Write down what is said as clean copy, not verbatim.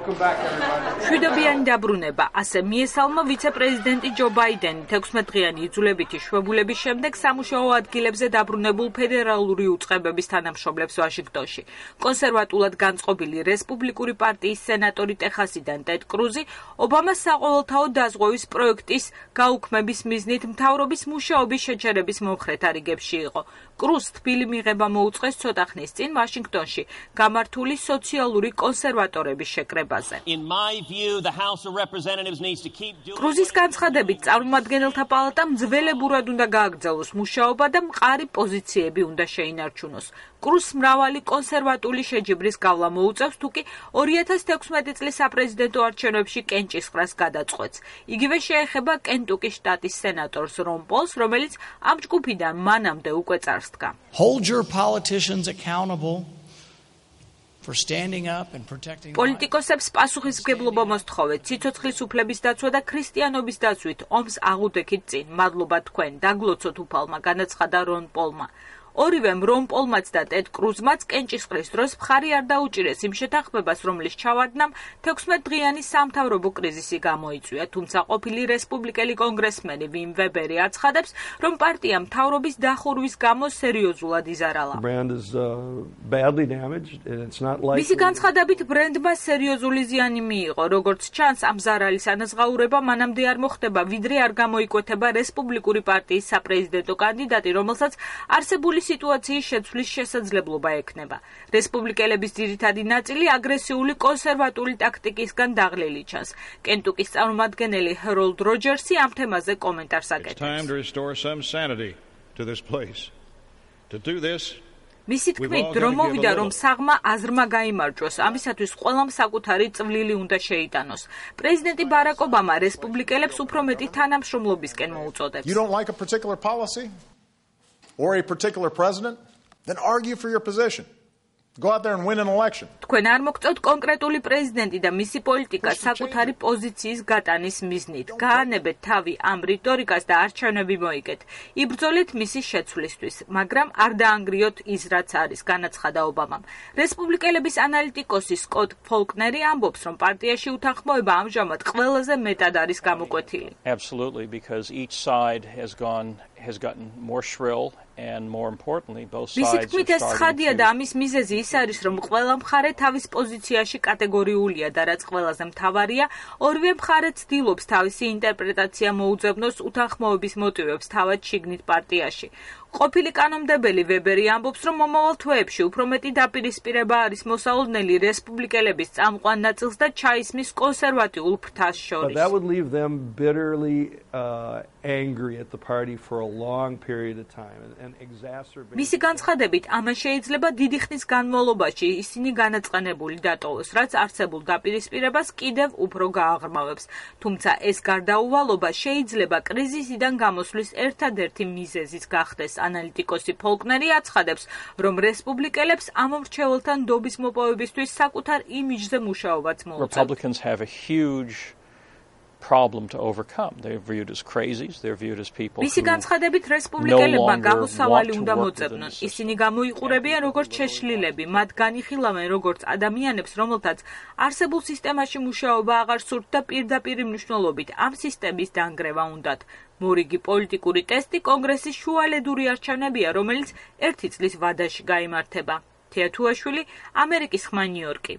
მშვიდობიანი დაბრუნება, ასე მიესალმა ვიცე-პრეზიდენტი ჯო ბაიდენი 16-დღიანი იძულებითი შვებულების შემდეგ სამუშაო ადგილებზე დაბრუნებულ ფედერალური უწყებების თანამშრომლებს ვაშინგტონში. კონსერვატულად განწყობილი რესპუბლიკური პარტიის სენატორი ტეხასიდან ტედ კრუზი ობამას საყოველთაო დაზღვევის პროექტის გაუქმების მიზნით მთავრობის მუშაობის შეჩერების მომხრეთ არიგებში იყო. კრუზს თბილი მიღება მოუწყეს ცოტა ხნის წინ ვაშინგტონში გამართული სოციალური კონსერვატორების შეკრებაზე. კრუზის განცხადებით წარმომადგენელთა პალატამ ძველებურად უნდა გააგრძელოს მუშაობა და მყარი პოზიციები უნდა შეინარჩუნოს. კრუზს მრავალი კონსერვატული შეჯიბრის გავლა მოუწევს, თუკი 2016 წლის საპრეზიდენტო არჩევნებში კენჭისყრას გადაწყვეტს. იგივე შეეხება კენტუკის შტატის სენატორს რონ პოლს, რომელიც ამ ჯგუფიდან მანამდე უკვე წარსდგა. Hold your politicians accountable for standing up and protecting პოლიტიკოსებს პასუხისმგებლობა მოსთხოვეთ სიცოცხლის უფლების დაცვა და ქრისტიანობის დაცვით ომს აღუდექით წინ. მადლობა თქვენ, დაგლოცოთ უფალმა, განაცხადა რონ პოლმა. ორივემ რონ პოლმაც და ტედ კრუზმაც კენჭისყრის დროს მხარი არ დაუჭირეს იმ შეთანხმებას, რომლის ჩავარდნამ 16-დღიანი სამთავრობო კრიზისი გამოიწვია, თუმცა ყოფილი რესპუბლიკელი კონგრესმენი ვიმ ვებერი აცხადებს, რომ პარტია მთავრობის დახურვის გამო სერიოზულად იზარალა. მისი განცხადებით ბრენდმა სერიოზული ზიანი მიიღო, როგორც ჩანს, ამ ზარალის ანაზღაურება მანამდე არ მოხდება, ვიდრე არ გამოიკვეთება რესპუბლიკური პარტიის საპრეზიდენტო კანდიდატი, რომელსაც არსებული სიტუაციის შეცვლის შესაძლებლობა ექნება. რესპუბლიკელების ძირითადი ნაწილი აგრესიული კონსერვატული ტაქტიკისგან დაღლილი ჩანს. კენტუკის წარმომადგენელი ჰეროლდ როჯერსი ამ თემაზე კომენტარს აკეთებს. მისი თქმით, დრო მოვიდა, რომ საღმა აზრმა გაიმარჯვოს, ამისათვის ყველამ საკუთარი წვლილი უნდა შეიტანოს. პრეზიდენტი ბარაკ ობამა რესპუბლიკელებს უფრო მეტი თანამშრომლობისკენ მოუწოდებს. Or a particular president, then argue for your position. Go out there and win an election. თქვენ არ მოგწევთ კონკრეტული პრეზიდენტი და მისი პოლიტიკა საკუთარი პოზიციის გატანის მიზნით. გაანებეთ თავი ამ რიტორიკას და არჩევნები მოიგეთ. იბრძოლეთ მისი შეცვლისთვის, მაგრამ არ დაანგრიოთ ის, რაც არის, განაცხადა ობამამ. რესპუბლიკელების ანალიტიკოსი სკოტ ფოლკნერი ამბობს, რომ პარტიაში უთანხმოება ამჟამად ყველაზე მეტად არის გამოკვეთილი. Absolutely, because each side has gotten more shrill and more importantly both sides are starting და ამის მიზეზი ის არის, რომ ყველა მხარე თავის პოზიციაში კატეგორიულია და რაც ყველაზე მთავარია, ორივე მხარე ცდილობს თავისი ინტერპრეტაცია მოუძებნოს უთანხმოების მოტივებს თავად შიგნით პარტიაში. ყოფილი კანონმდებელი ვებერი ამბობს, რომ მომავალ თვეებში უფრო მეტი დაპირისპირება არის მოსალოდნელი რესპუბლიკელების წამყვან ნაწილს და ჩაისმის კონსერვატიულ ფრთას შორის. Angry at the party for a long period of time and exacerbate. მისი განცხადებით, ამან შეიძლება დიდი ხნის განმავლობაში ისინი განაწყენებული დატოვოს, რაც არსებულ დაპირისპირებას კიდევ უფრო გააღრმავებს. თუმცა ეს გარდაუვალობა შეიძლება კრიზისიდან გამოსვლის ერთადერთი მიზეზიც გახდეს. ანალიტიკოსი ფოლკნერი აცხადებს, რომ რესპუბლიკელებს ამ მრჩეველთან დობის მოპოვებისთვის საკუთარ იმიჯზე მუშაობაც მოუწევს. Republicans have a huge problem to overcome. They're viewed as crazies, they're viewed as people who მისი განცხადებით რესპუბლიკელებმა გამოსავალი უნდა მოწებნონ. ისინი გამოიყურებიან როგორც შეშლილები, მათ განიხილავენ როგორც ადამიანებს, რომელთაც არსებულ სისტემაში მუშაობა აღარ სურთ და პირდაპირ მნიშვნელობით ამ სისტემის დანგრევა უნდათ. მორიგი პოლიტიკური ტესტი კონგრესის შუალედური არჩევნებია, რომელიც 1 წლის ვადაში გაიმართება. თეათუაშვილი, ამერიკის ხმა ნიუ-იორკი.